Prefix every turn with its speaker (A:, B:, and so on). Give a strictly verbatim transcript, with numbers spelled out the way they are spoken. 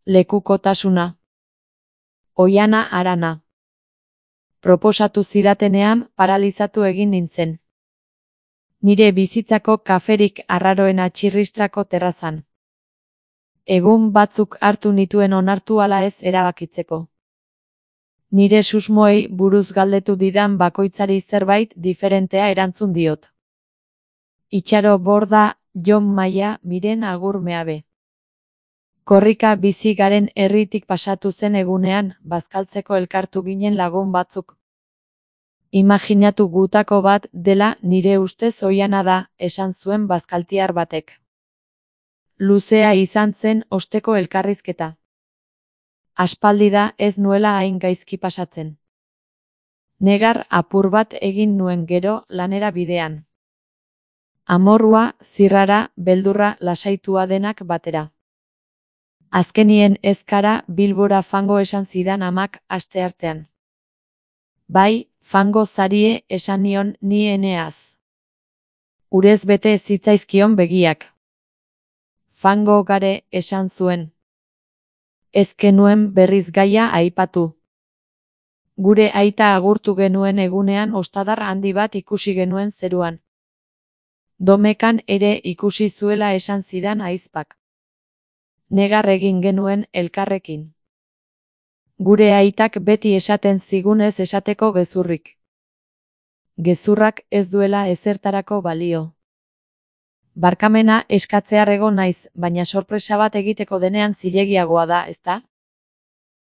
A: Lekukotasuna. Oihana harana. Proposatu zidatenean paralizatu egin nintzen. Nire bizitzako kaferik arraroena txirristrako terrazan. Egun batzuk hartu nituen onartu ala ez erabakitzeko. Nire susmoei buruz galdetu didan bakoitzari zerbait diferentea erantzun diot. Itxaro Borda, Jon Maia, Miren Agur Meabe. Korrika bizi garen herritik pasatu zen egunean, bazkaltzeko elkartu ginen lagun batzuk. Imaginatu gutako bat dela nire ustez oihana da, esan zuen bazkaltiar batek. Luzea izan zen osteko elkarrizketa. Aspaldi da ez nuela hain gaizki pasatzen. Negar apur bat egin nuen gero lanera bidean. Amorrua, zirrara, beldurra, lasaitua denak batera. Azkenien ezkara Bilbora fango esan zidan amak asteartean. Bai, fango zarie esan nion ni eneaz. Urez bete zitzaizkion begiak. Fango gare esan zuen. Ez genuen berriz gaia aipatu. Gure aita agurtu genuen egunean ostadar handi bat ikusi genuen zeruan. Domekan ere ikusi zuela esan zidan ahizpak. Negar egin genuen elkarrekin. Gure aitak beti esaten zigunez esateko gezurrik. Gezurrak ez duela ezertarako balio. Barkamena eskatzear egon naiz, baina sorpresa bat egiteko denean zilegiagoa da, ezta?